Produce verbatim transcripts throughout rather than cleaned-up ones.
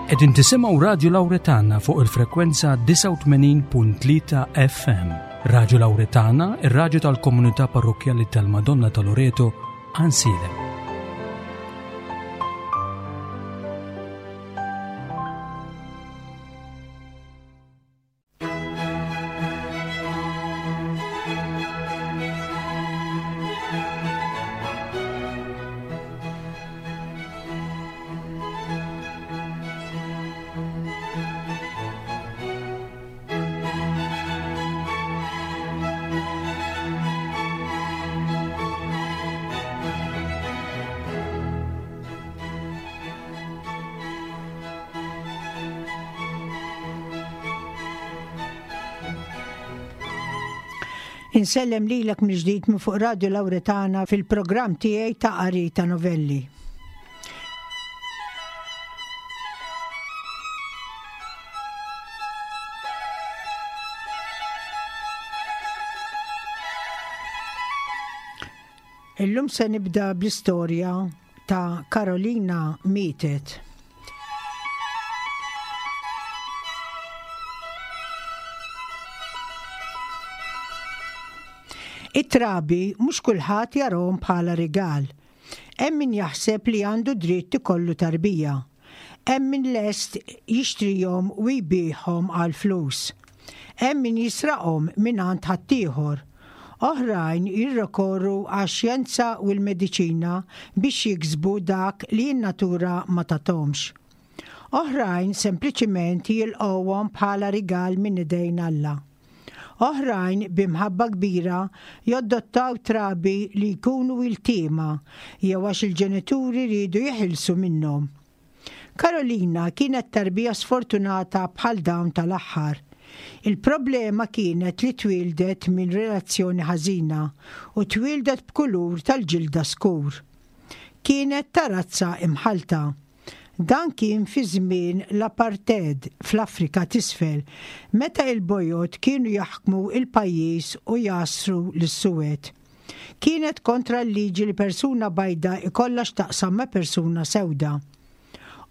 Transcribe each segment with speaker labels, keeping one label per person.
Speaker 1: Qegħdin tisimgħu Radju Lawretana fuq il-frekwenza disgħa u tmenin punt tlieta F M. Radju Lawretana, ir-radju tal-Komunità Parrokkjali tal-Madonna ta' Loreto, Għajnsielem.
Speaker 2: Insellem lilek mill-ġdid minn fuq Radio Lawretana fil-programm tiegħi ta' qari ta' novelli. Illum se nibda bl-istorja ta' Karolina Mietet. It-trabi mhux kulħadd jarahom bħala rigal. Hemm min jaħseb li għandu dritt ikollu tarbija. Hemm min lest jixtrihom u jbigħhom għal flus. Hemm min jisraqhom mingħand ħaddieħor. Oħrajn jirrikorru għax-xjenza u l-mediċina biex jiksbu dak li n-natura ma tathomx. Oħrajn sempliċiment jilqgħuhom bħala rigal minn idejn Alla. Oħrajn b'imħabba kbira jaddottaw trabi li jkunu iltiema jew għax il-ġenituri riedu jeħilsu minnhom. Karolina kienet tarbija sfortunata bħal dawn tal-aħħar. Il-problema kienet li twildet minn relazzjoni ħażina u twildet b'kulur tal-ġilda skur. Kienet ta' razza imħalta. Dan kien fi żmien l-apartheid fl-Afrika t'Isfel, meta il-bojod kienu jaħkmu il-pajjiż u jgħassru lis-suwed. Kienet kontra l-liġi li persuna bajda ikollha x'taqsam ma' persuna sewda.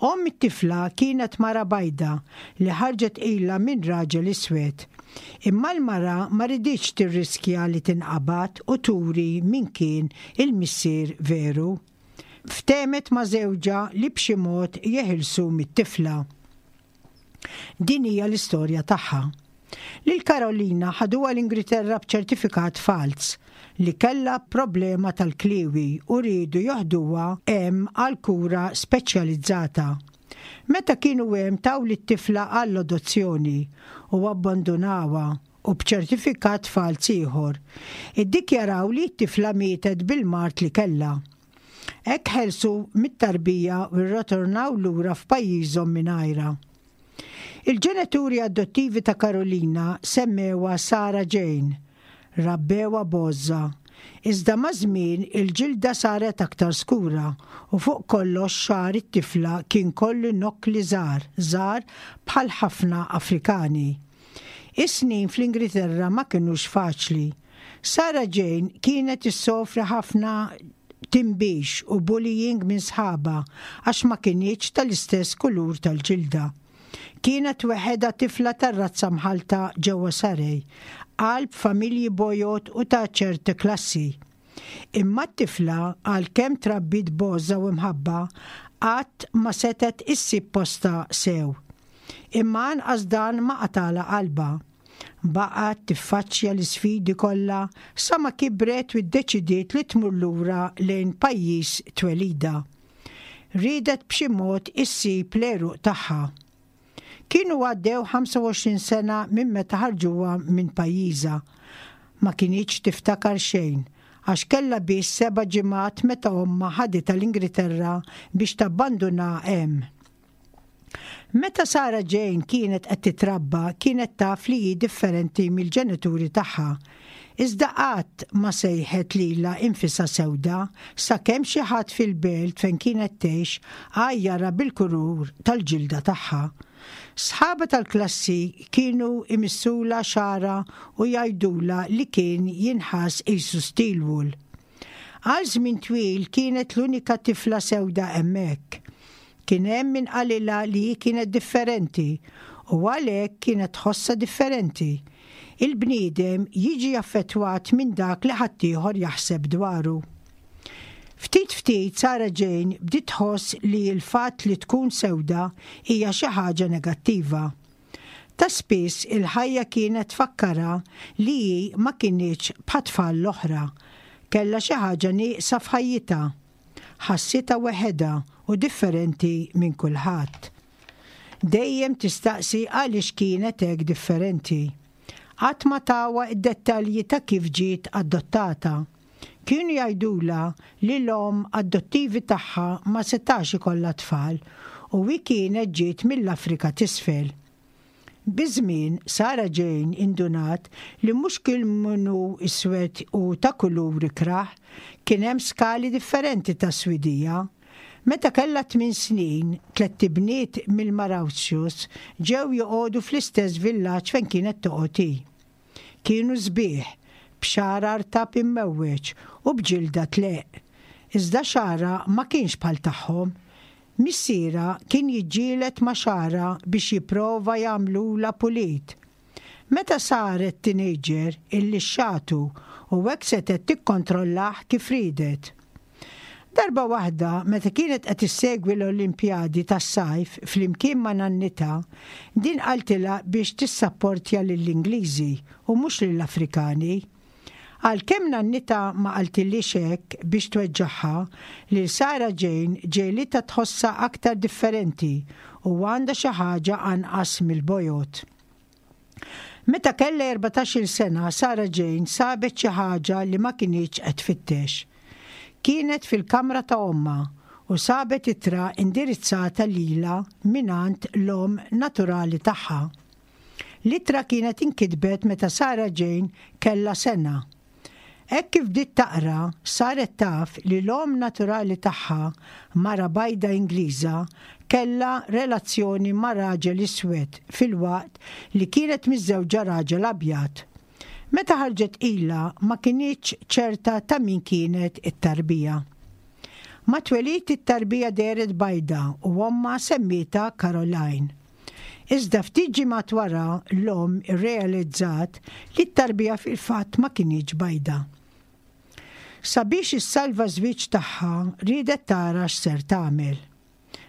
Speaker 2: Omm it-tifla kienet mara bajda li ħarġet ilha minn raġel iswed. Imma l-mara ma riditx tirriskja li tinqabad u turi min kien il-missier veru. Ftehmet ma' żewġha li b'xi mod jeħilsu mit-tifla. Din hija l-istorja tagħha. Lil Karolina ħaduha l-Ingilterra b'ċertifikat falz li kellha problema tal-kliwi u riedu joħduha hemm għal kura speċjalizzata. Meta kienu hemm, taw lit-tifla għall-adozzjoni u abbandonawha u b'ċertifikat falz ieħor. Iddikjaraw li t-tifla mietet bil-mard li kellha. Hekk ħelsu mit-tarbija u rritornaw lura f'pajjiżhom mingħajrha. Il-ġenituri adottivi ta' Karolina semmewha Sara Jane, rabbewha b'għożża. Iżda maż-żmien il-ġilda saret aktar skura u fuq kollox xagħar it-tifla kien kollu nokkli żgħar, żgħar bħal ħafna Afrikani. Is-snin fl-Ingilterra ma kinux faċli. Sara Jane kienet issofri ħafna tinbix u bullying minn sħabha għax ma kinitx tal-istess kulur tal-ġilda. Kienet weħidha tifla tar-razza mħalta ġewwa Surrey, qalb familji bojod u ta' ċerti klassi. Imma t-tifla, għalkemm trabbiet b'għożża u mħabba, qatt ma setgħet issib postha sew. Imma anqas dan ma qatalha qalbha. Baqgħet tiffaċċja l-isfidi kollha sa ma kibret u ddeċidiet li tmur lura lejn pajjiż twelidha. Riedet b'xi mod issib l-għeruq tagħha. Kienu għaddew ħamsa u għoxrin sena minn meta ħarġuha minn pajjiżha. Ma kinitx tiftakar xejn għax kellha biss seba' ġimgħat meta ommha ħaditha l-Ingilterra biex tabbandunha hemm. Meta Sara Jane kienet qed titrabba, kienet taf li hi differenti mill-ġenituri tagħha. Iżda qatt ma sejħet lilha nfisha sewda sakemm xi ħadd fil-belt fejn kienet tgħix għajjarha bil-kulur tal-ġilda tagħha. Sħabha tal-klassi kienu imissulha xagħarha u jgħidulha li kien jinħass qisu steel wool. Għal żmien twil kienet l-unika tifla sewda hemmhekk. Kien hemm min qalilha li hi kienet differenti u għalhekk kienet tħossha differenti. Il-bniedem jiġi affettwat minn dak li ħaddieħor jaħseb dwaru. Ftit ftit Sarah Jane bdiet tħoss li l-fatt li tkun sewda hija xi ħaġa negattiva. Ta' spiss il-ħajja kienet tfakkarha li hi ma kinitx bħat-tfal l-oħra. Kellha xi ħaġa nieqsa f'ħajjitha. Ħassitha weħedha u differenti minn kulħadd. Dejjem tistaqsi għaliex kienet hekk differenti. Qatt ma tawha id-dettalji ta' kif ġiet adottata. Kienu jgħidulha li l-omm adottivi tagħha ma setax ikollha tfal u hi kienet ġiet mill-Afrika t'Isfel. Biż-żmien Sarah Jane indunat li mhux kull min hu iswed u ta' kulur ikrah, kien hemm skali differenti ta' swidija. Meta kellha tmien snin, tlett ibniet mill-Mauritius ġew joqogħdu fl-istess villaġġ fejn kienet toqgħod hi. Kienu sbieħ, b'xagħar artab immewweġ u b'ġilda tleqq. Iżda xagħarha ma kienx bħal tagħhom. Missierha kien jiġġieled ma' xagħarha biex jipprova jagħmlulha pulit. Meta saret teenager illixxatu u hekk setgħet tikkontrollah kif riedet. Darba waħda meta kienet qed issegwi l-Olimpjadi tas-sajf flimkien ma' nannitha, din qaltilha biex tissapportja lill-Ingliżi u mhux lill-Afrikani. Għalkemm nannitha ma qaltilhiex hekk biex tweġġagħha, lil Sarah Jane ġegħlitha tħossha aktar differenti u għandha xi ħaġa anqas mill-bojod. Meta kellha erbatax-il sena, Sarah Jane sabet xi ħaġa li ma kinitx qed tfittex. Kienet fil-kamra ta' ommha u sabet ittra indirizzata lilha mingħand l-omm naturali tagħha. L-ittra kienet inkitbet meta Sarah Jane kellha sena. Hekk kif bdiet taqra, saret taf li l-omm naturali tagħha, mara bajda Ingliża, kellha relazzjoni ma' raġel iswed filwaqt li kienet miżżewġa raġel abjad. Meta ħarġet ilha ma kinitx ċerta ta' min kienet it-tarbija. Ma' twelid it-tarbija dehret bajda u ommha semmietha Caroline. Iżda ftit ġimgħat wara l-omm irrealizzat li t-tarbija fil-fatt ma kinitx bajda. Sabiex issalva ż-żwieġ tagħha riedet tara x'ser tagħmel.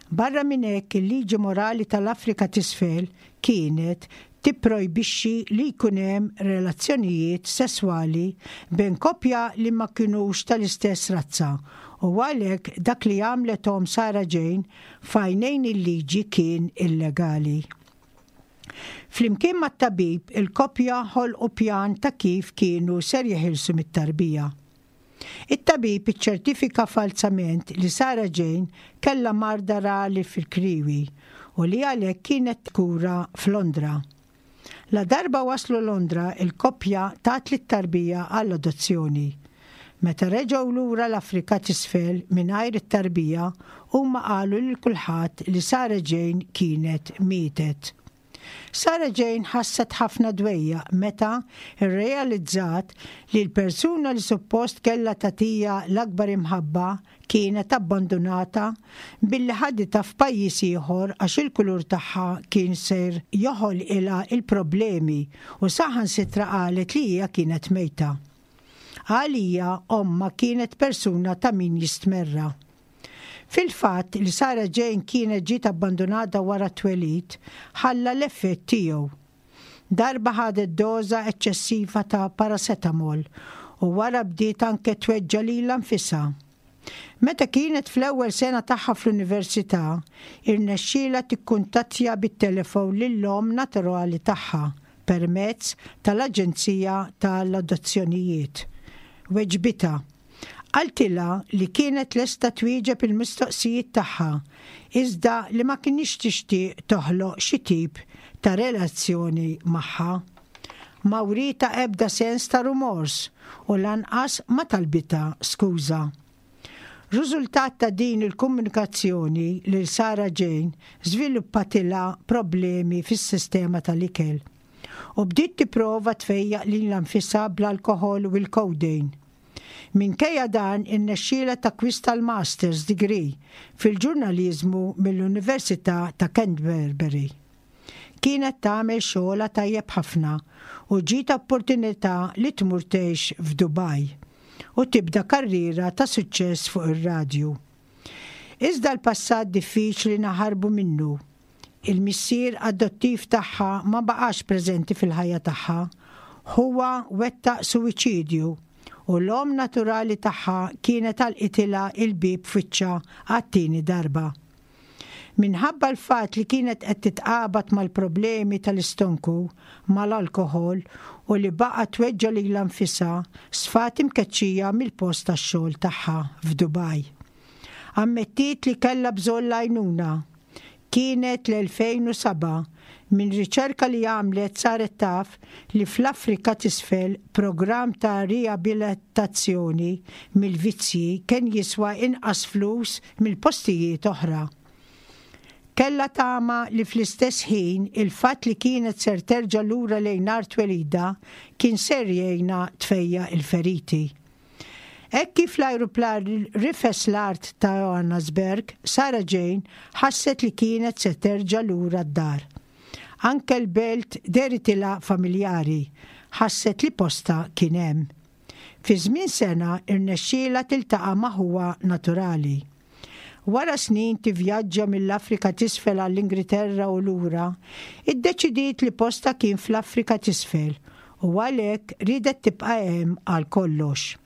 Speaker 2: Barra minn hekk il-liġi morali tal-Afrika t'Isfel kienet tipprojbixxi li jkun hemm relazzjonijiet sesswali bejn koppja li ma kinux tal-istess razza u għalhekk dak li għamlet omm Sarah Jane f'għajnejn il-liġi kien illegali. Flimkien mat-tabib il-koppja ħolqu pjan ta' kif kienu ser jeħilsu mit-tarbija. It-tabib iċċertifika falsament li Sarah Jane kellha marda rari fil-kriwi u li għalhekk kienet tkura f'Londra. La darba waslu Londra, il-koppja tat lit-tarbija għall-adozzjoni. Meta reġgħu lura l-Afrika t'Isfel mingħajr it-tarbija, huma qalu lil kulħadd li Sarah Jane kienet mietet. Sarah Jane ħasset ħafna dwejjaq meta rrealizzat li l-persuna li suppost kellha tagħtiha l-akbar imħabba kienet abbandunata billi ħaditha f'pajjiż ieħor għax il-kulur tagħha kien ser joħolqilha il-problemi u saħansitra qalet li hija kienet mejta. Għalija ommha kienet persuna ta' min jistmerra. Fil-fatt li Sarah Jane kienet ġiet abbandunata wara t-twelid ħalla l-effett tiegħu. Darba ħadet doża eċċessiva ta' paracetamol u wara bdiet anke tweġġa' lilha nfisha. Meta kienet fl-ewwel sena tagħha fl-università, irnexxielha tikkuntattja bit-telefon lill-omm naturali tagħha permezz tal-Aġenzija tal-Adozzjonijiet. Weġbitha. Qaltilha li kienet lesta twieġeb il-mistoqsijiet tagħha, iżda li ma kinitx tixtieq toħloq xi tip ta' relazzjoni magħha. Ma wrietha ebda sens ta' rumors u lanqas ma talbitha skuża. Riżultat ta' din il-komunikazzjoni lil Sarah Jane żviluppatilha problemi fis-sistema tal-ikel u bdiet tipprova tfejjaq lilha nfisha bl-alkoħol u l-codeine. Minkejja dan irnexxielha takkwista l-Master's Degree fil-ġurnaliżmu mill-Università ta' Canterbury. Kienet tagħmel xogħolha tajjeb ħafna u ġiet opportunità li tmur tgħix f'Dubaj u tibda karriera ta' suċċess fuq ir-radju. Iżda l-passat diffiċli naħarbu minnu. Il-missier adottiv tagħha ma baqax preżenti fil-ħajja tagħha. Huwa wettaq suwiċidju u l-om naturali tagħha kienet għalqitilha il-bib f'wiċċha għat-tieni darba. Minħabba l-fat li kienet qed titqabad mal-problemi tal-istonku, mal-alkoħol u li baqgħet tweġġa' lilha nfisha, sfat imkeċċija mill-post tax-xogħol tagħha f'Dubaj. Ammettiet li kellha bżonn l-għajnuna. Kienet l-elfejn u sebgħa minn riċerka li għamlet saret taf li fl-Afrika t'Isfel programm ta' riabilitazzjoni mill-vizzji kien jiswa inqas flus mill-postijiet oħra. Kellha tama li fl-istess ħin il-fatt li kienet ser terġa' lura lejn art twelida kien ser jgħinha tfejja il-feriti. Hekk kif l-ajruplan rifes l-art ta' Johannesburg, Sarah Jane ħasset li kienet se terġa' lura d-dar. Anke l-belt deritilha familjari, ħasset li posta kien hemm. Fi żmien sena irnexxielha tiltaqa' ma' ħuha naturali. Wara snin tivvjaġġa mill-Afrika t'Isfel għall-Ingilterra u lura, iddeċidiet li posta kien fl-Afrika t'Isfel u għalhekk riedet tibqa' hemm għal kollox.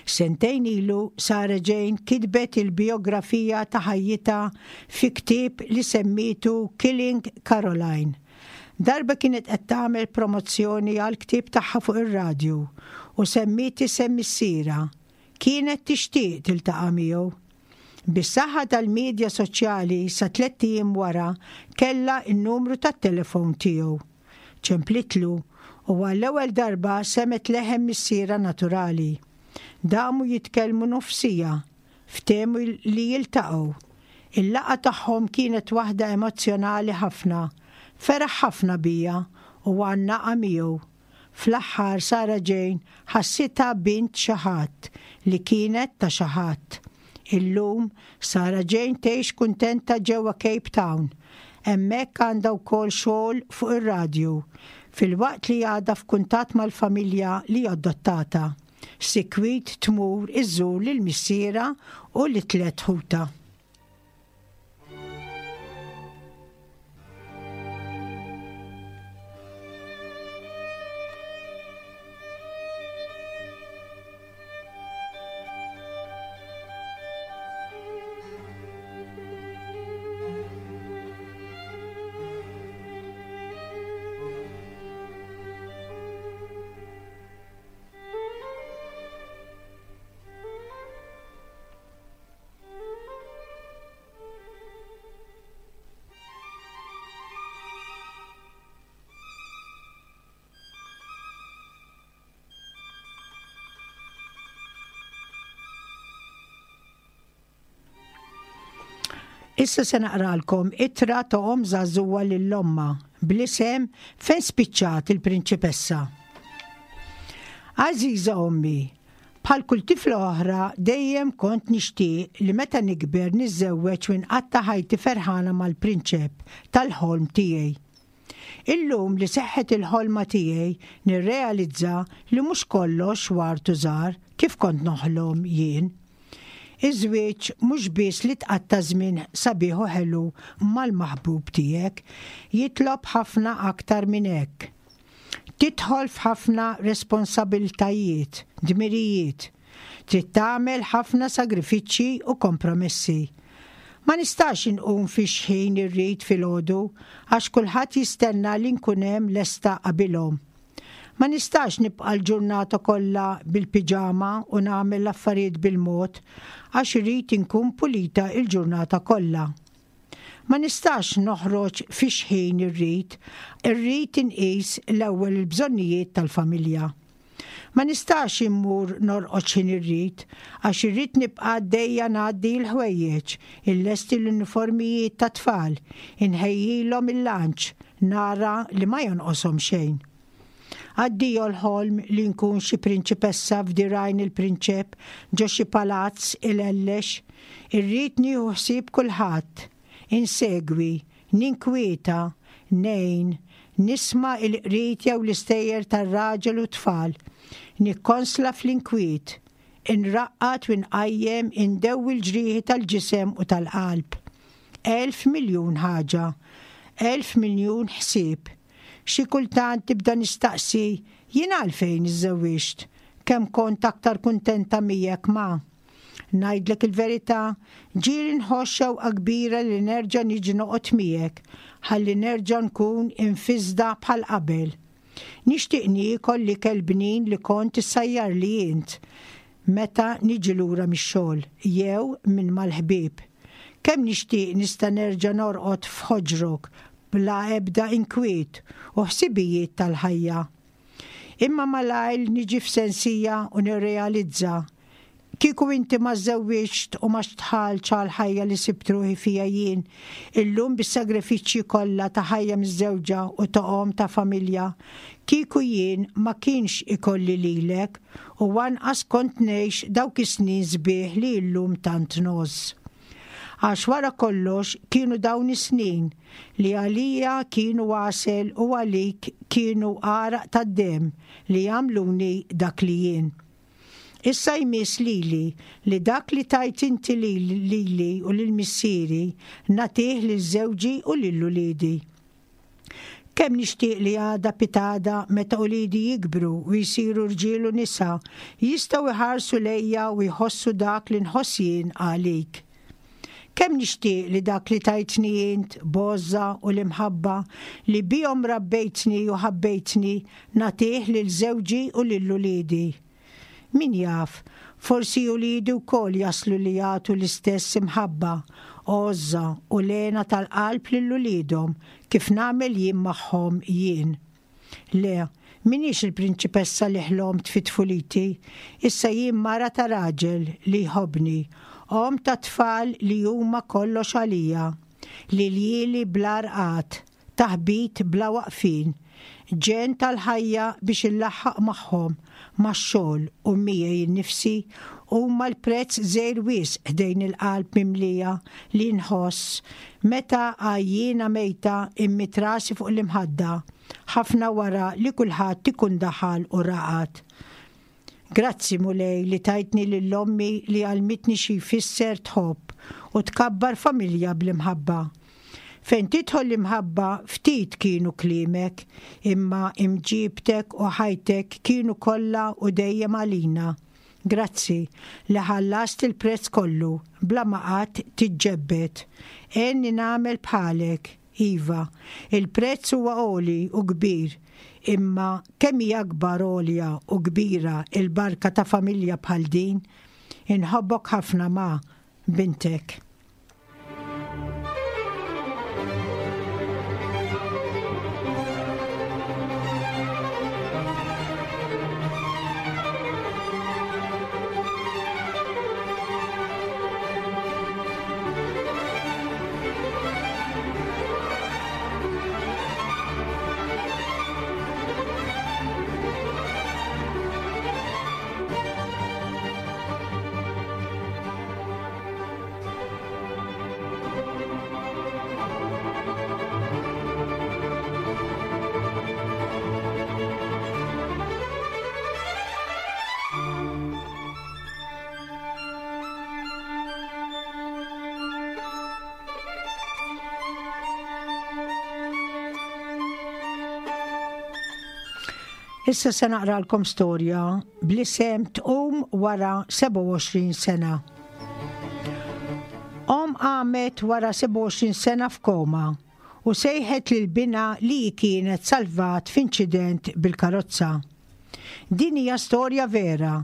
Speaker 2: Sentejn ilu Sarah Jane kitbet il-biografija ta' ħajjitha fi ktieb li semmitu Killing Caroline. Darba kienet qed tagħmel promozzjoni għal ktieb tagħha fuq ir-radju u semmiet isem missierha. Kienet tixtieq tiltaqa' miegħu. Bis-saħħa tal-medja soċjali sa tliet ijiem wara kellha n-numru tat-telefon tiegħu. Ċemplitlu u għall-ewwel darba semet leħen missierha naturali. Damu jitkellmu nofsija, ftehmu li jiltaqgħu. Il-laqgħa tagħhom kienet waħda emozzjonali ħafna, feraħ ħafna bija u għannaqa miegħu. Fl-aħħar Sarah Jane ħassitha bint xi ħadd li kienet ta' xi ħadd. Illum Sarah Jane tgħix kuntenta ġewwa Cape Town. Hemmhekk għandha wkoll xogħol fuq ir-radju, filwaqt li għadha f'kuntatt mal-familja li adottata. Sikwit tmur iżżur lil missiera u li tliet ħuta. Issa se naqralkom ittra ta' omm żagħżugħa lil ommha bl-isem Fejn spiċċat il-prinċipessa. Għażiża ommi, bħal kull tifla oħra dejjem kont nixtieq li meta nikber niżżewweġ u nqatta' ħajti ferħana mal-prinċep tal-ħolm tiegħi. Illum li seħħet il-ħolma tiegħi nirrealizza li mhux kollox ward u żgħar kif kont noħlom jien. Iż-żwieġ mhux biss li tqatta' żmien sabiħ u ħelu mal-maħbub tiegħek, jitlob ħafna aktar minn hekk. Tidħol f'ħafna responsabiltajiet, dmirijiet, trid tagħmel ħafna sagrifiċċji u kompromessi. Ma nistax inqum fi xħin irrid filgħodu għax kulħadd jistenna li nkun hemm lesta qabilhom. Ma nistax nibqa' l-ġurnata kollha bil-piġama u nagħmel l-affarijiet bil-mod għax irrid inkun pulita l-ġurnata kollha. Ma nistax noħroġ fi xħin irrid, irrid inqis l-ewwel il-bżonnijiet tal-familja. Ma nistax immur norqod x'ħin irrid għax irrid nibqa' għaddejja ngħaddi l-ħwejjeġ, illesti l-uniformijiet tat-tfal, inħejjilhom il-lunch, nara li ma jonqoshom xejn. Addio l-ħolm li nkun xi prinċipessa f'dirgħajn il-prinċep ġo xi palazz ilellex. Irrid nieħu ħsieb kulħadd. Insegwi, ninkwieta, ngħin, nisma' il-qrid jew l-istejjer tar-raġel u tfal. Nikkonsla fl-inkwiet, inraqqad u nqajjem indewwi l-ġrieħi tal-ġisem u tal-qalb. Elf miljun ħaġa, elf miljun ħsieb. Xi kultant tibda nistaqsi jien għalfejn iżżewwiġt, kemm kont aktar kuntenta miegħek ma. Ngħidlek il-verità, ġieli nħoss xewqa kbira li nerġa' niġi noqgħod miegħek, ħalli nerġa' nkun infisda bħal qabel. Nixtieq niekol l-ikel bnin li kont issajjarli int meta niġi lura mix-xogħol jew minn mal-ħbieb. Kemm nixtieq nista' nerġa' norqod f'ħoġrok bla ebda inkwiet u ħsibijiet tal-ħajja. Imma malajr niġi f'sensija u nirrealizza kieku inti ma żżewwiġt u ma dħaltx għal ħajja li sibt ruħi fija jien, illum bis-sagrifiċċji kollha ta' ħajja miżżewġa u ta' omm ta' familja, kieku jien ma kienx ikolli lilek u anqas kont ngħix dawk is-snin sbieħ li llum tant ngħożż. Għax wara kollox kienu dawn is-snin li għalija kienu għasel u għalik kienu għaraq tad-demm li għamluni dak li jien. Issa jmiss lili li dak li tajt inti lili u lil missieri nagħtih lil żewġi u lil uliedi. Kemm nixtieq li għada pitgħada meta uliedi jikbru u jsiru rġiel u nisa jistgħu jħarsu lejja u jħossu dak li nħoss jien għalik. Kemm nixtieq li dak li tajtni int, b'għożża u l-imħabba li bihom rabbejtni u ħabbejtni nagħtih lil żewġi u lil uliedi. Min jaf, forsi uliedi wkoll jaslu li jagħtu l-istess imħabba, għożża u l-hena tal-qalb lil uliedhom kif nagħmel jien magħhom jien. Le, m'iniex il-prinċipessa li ħlomt fi tfuliti, issa jien mara ta' raġel li jħobbni, omm ta' tfal li huma kollox għalija, li ljieli bla rqad, taħbit bla waqfin, ġenn tal-ħajja biex illaħħaq magħhom, max-xogħol u miegħi nnifsi huma l-prezz żgħir wisq ħdejn il-qalb mimlija li nħoss meta għajjiena mejta immidd rasi fuq l-imħadda, ħafna wara li kulħadd ikun daħal u raqad. Grazzi Mulej li tajtni lil ommi li għallmitni xi jfisser tħobb u tkabbar familja bl-imħabba. Fejn tidħol l-imħabba ftit kienu kliemek, imma imġibtek u ħajtek kienu kollha u dejjem għalina. Grazzi li ħallast il-prezz kollu bla ma qatt tiġġebbed. Għenni nagħmel bħalek, iva, il-prezz huwa għoli u kbir, imma kemm hija akbar għolja u kbira il-barka ta' familja bħal din. Inħobbok ħafna ma' bintek. Issa se naqralkom storja bl-isem Tqum wara sebgħa u għoxrin sena. Omm qamet wara sebgħa u għoxrin sena f'koma u sejħet lil binha li hi kienet salvat f'inċident bil-karozza. Din hija storja vera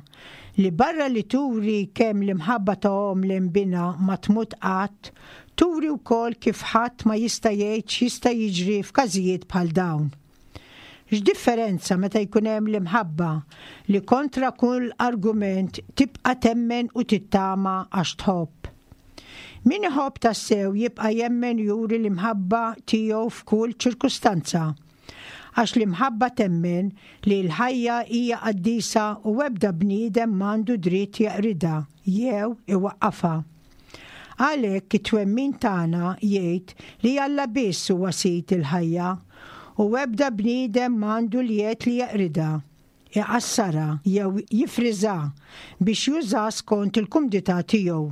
Speaker 2: li barra li turi kemm l-imħabba ta' omm lejn binha ma tmut qatt, turi wkoll kif ħadd ma jista' jgħid x'jista' jiġri f'każijiet bħal dawn. X'differenza meta jkun hemm l-imħabba li kontra kull argument tibqa' temmen u tittama għax tħobb. Min iħobb tassew jibqa' jemmen juri l-imħabba tiegħu f'kull ċirkustanza. Għax l-imħabba temmen li l-ħajja hija qaddisa u ebda bniedem m'għandu dritt jeqridha jew iwaqqafha. Għalhekk it-twemmin tagħna jgħid li Alla biss huwa sid il-ħajja u ebda bniedem m'għandu l-jedd li jeqridha, iqassarha jew jifriżha biex juża skont il-kumdità tiegħu.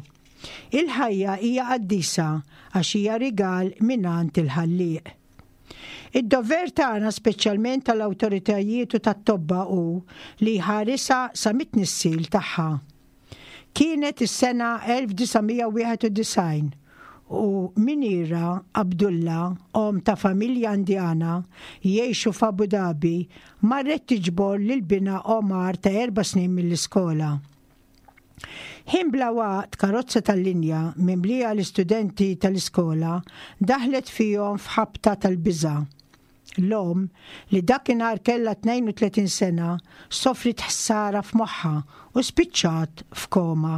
Speaker 2: Il-ħajja hija qaddisa għax hija rigal mingħand il-Ħallieq. Id-dover tagħna, speċjalment tal-awtoritajiet u tat-tobba, hu li jħarisha sa mit-tnissil tagħha. Kienet is-sena elf disa' mija wieħed u disgħin u Minira Abdullah, om ta' familja Indjana jgħixu f'Abu Dhabi, marret tiġbor lil binha Omar ta' erba' snin mill-iskola. Ħin bla waqt, karozza tal-linja mimlija l-istudenti tal-iskola daħlet fihom f'ħabta tal-biża'. L-om, li dakinhar kellha tnejn u tletin sena, sofrit ħsara f'moħħa u spiċċat f'koma.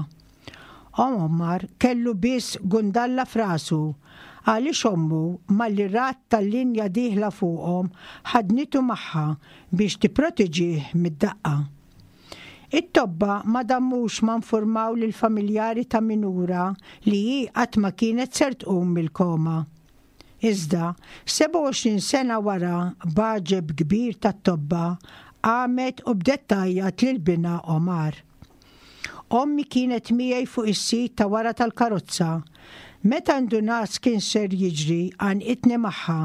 Speaker 2: Omar kellu biss gundalla f'rasu għaliex ommu, malli rat tal-linja dieħla fuqhom, ħadnitu magħha biex tipproteġih mid-daqqa. It-tobba ma damux ma informaw lil familjari ta' Minura li hi qatt ma kienet ser tqum mill-koma. Iżda, sebgħa u għoxrin sena wara, b'għaġeb kbir tat-tobba, qamet u bdet tgħajjat lil binha Omar. "Ommi kienet miegħi fuq is-seat ta' wara tal-karozza. Meta ndunat kien ser jiġri, għannqitni magħha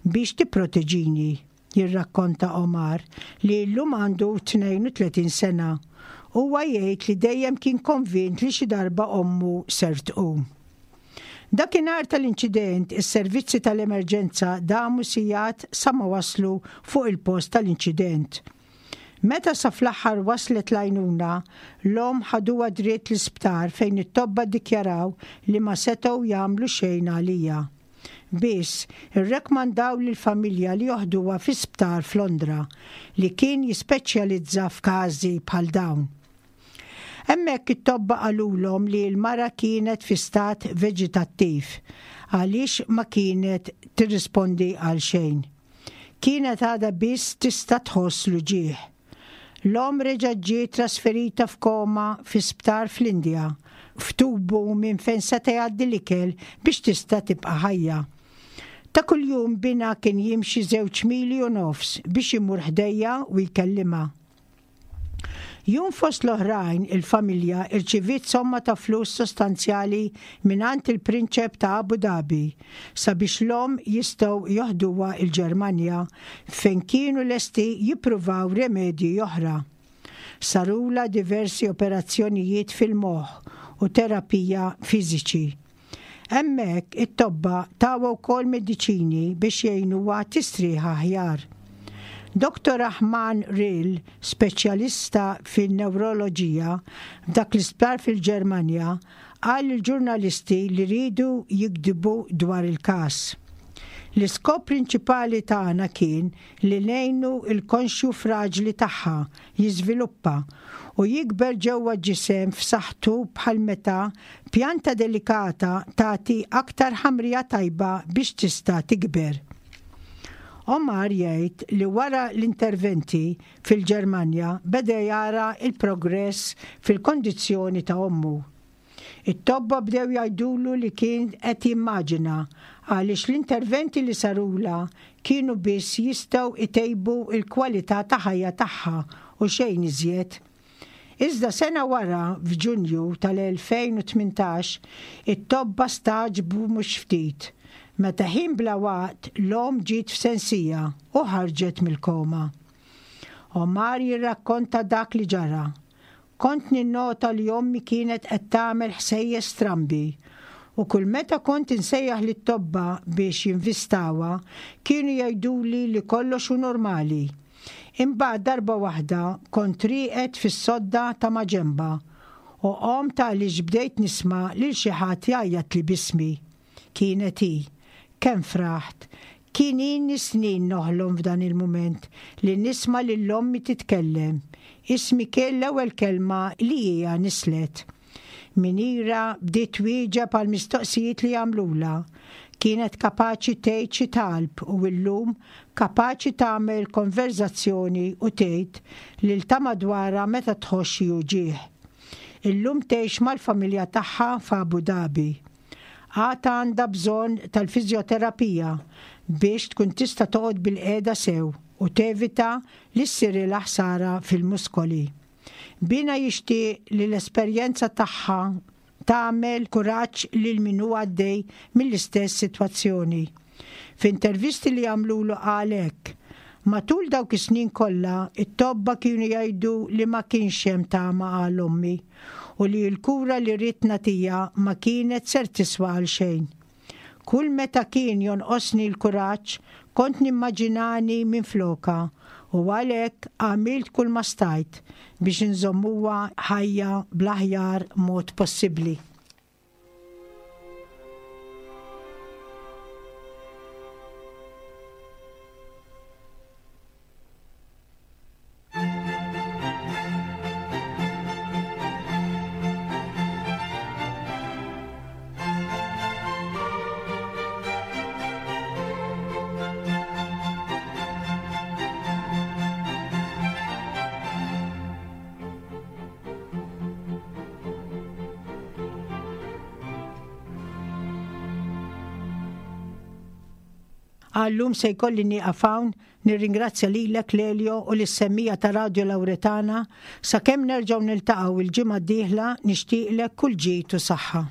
Speaker 2: biex tipproteġini," jirrakkonta Omar, li llum għandu tnejn u tletin sena. Huwa jgħid li dejjem kien konvint li xi darba ommu ser tqum. Dakinhar tal-inċident, is-servizzi tal-emerġenza damu sigħat sa ma waslu fuq il-post tal-inċident. Meta sa fl-aħħar waslet l-għajnuna, l-om ħaduha dritt l-isptar fejn it-tobba dikjaraw li ma setgħu jagħmlu xejn għaliha. Biss, irrekmandaw lill-familja li joħduha fi sptar f'Londra li kien jispeċjalizza f'każi bħal dawn. Hemmhekk it-tobba qalulhom li l-mara kienet fi stat veġetattiv għaliex ma kienet tirrispondi għal xejn. Kienet għadha biss tista' tħoss l-uġigħ. L-om reġa' ġiet trasferita f'koma fi sptar fl-Indja, f'tubu minn fejn seta' jgħaddi l-ikel biex tista' tibqa' ħajja. Ta' kuljum binha kien jimxi żewġ mili u nofs biex imur ħdejha u jkellimha. Jum fost l-oħrajn, il-familja irċiviet somma ta' flus sostanzjali mingħand il-prinċep ta' Abu Dhabi sabiex l-om jistgħu joħduha il-Ġermanja fejn kienu lesti jippruvaw remedji oħra. Sarula diversi operazzjonijiet fil-moħħ u terapija fiżiċi. Hemmhekk it-tobba tawha wkoll mediċini biex jgħinuha tistrieħ aħjar. Doktor Rahman Rill, speċjalista fin-neuroloġija f'dak l-isptar fil-Ġermanja, qal il-ġurnalisti li rridu jiktbu dwar il-każ: "L-iskop prinċipali tagħna kien li ngħinu il-konxju fraġli tagħha jiżviluppa u jikber ġewwa ġisem f'saħħtu, bħal meta pjanta delikata tagħti aktar ħamrija tajba biex tista' tikber." Omar jgħid li wara l-interventi fil-Ġermanja beda jara il-progress fil-kondizzjoni ta' ommu. It-tobba bdew jgħidulu li kien qed jimmaġina għaliex l-interventi li sarula kienu biss jistgħu itejbu il-kwalità ta' ħajja tagħha u xejn iżjed. Iżda sena wara, f'Ġunju tal-elfejn u tmintax, it-tobba stagħġbu mhux ftit meta ħin bla waqt l-om ġiet f'sensiha u ħarġet mill-koma. Omar jirrakkonta dak li ġara: "Kont ninnota li ommi kienet qed tagħmel ħsejjes strambi u kull meta kont insejjaħ lit-tobba biex jinvistawha, kienu jgħiduli li kollox hu normali. Imbagħad darba waħda kont rieqed fis-sodda ta' maġenba u qomt għaliex bdejt nisma' lil xi ħadd jgħajjat li b'ismi. Kienet hi. Kemm fraħt! Kien ilni snin noħlom f'dan il-mument li nisma' lil ommi titkellem. Ismi kien l-ewwel kelma li hija nislet." Minira bdiet twieġeb għal mistoqsijiet li għamlula. Kienet kapaċi tgħid xi talb u llum kapaċi tagħmel konverzazzjoni u tgħid lil ta' madwarha meta tħoss xi uġigħ. Illum tgħix mal-familja tagħha f'Abu Dhabi. Għad għandha bżonn tal-fiżjoterapija biex tkun tista' toqgħod bilqiegħda sew u tevita li ssirilha ħsara fil-muskoli. Binha jixtieq li l-esperjenza tagħha tagħmel kuraġġ lil min hu għaddej mill-istess sitwazzjoni. F'intervisti li għamlulu qal hekk: Matul dawk is-snin kollha, it-tobba kienu jgħidu li ma kienx hemm tama għal ommi u li l-kura li ridt nagħtiha ma kienet ser tiswa għal xejn. Kull meta kien jonqosni l-kuraġġ, kont nimmaġinani minn flokha u għalhekk għamilt kull ma stajt biex nżommuha ħajja bl-aħjar mod possibbli. Għal-lum se jkolli nieqaf hawn, nirringrazzja lilek Lelio u lis-semmiegħa ta' Radio Lauretana, sakemm nerġgħu niltaqgħu il-ġimgħa d-dieħla nixtieqlek kull ġid u saħħa.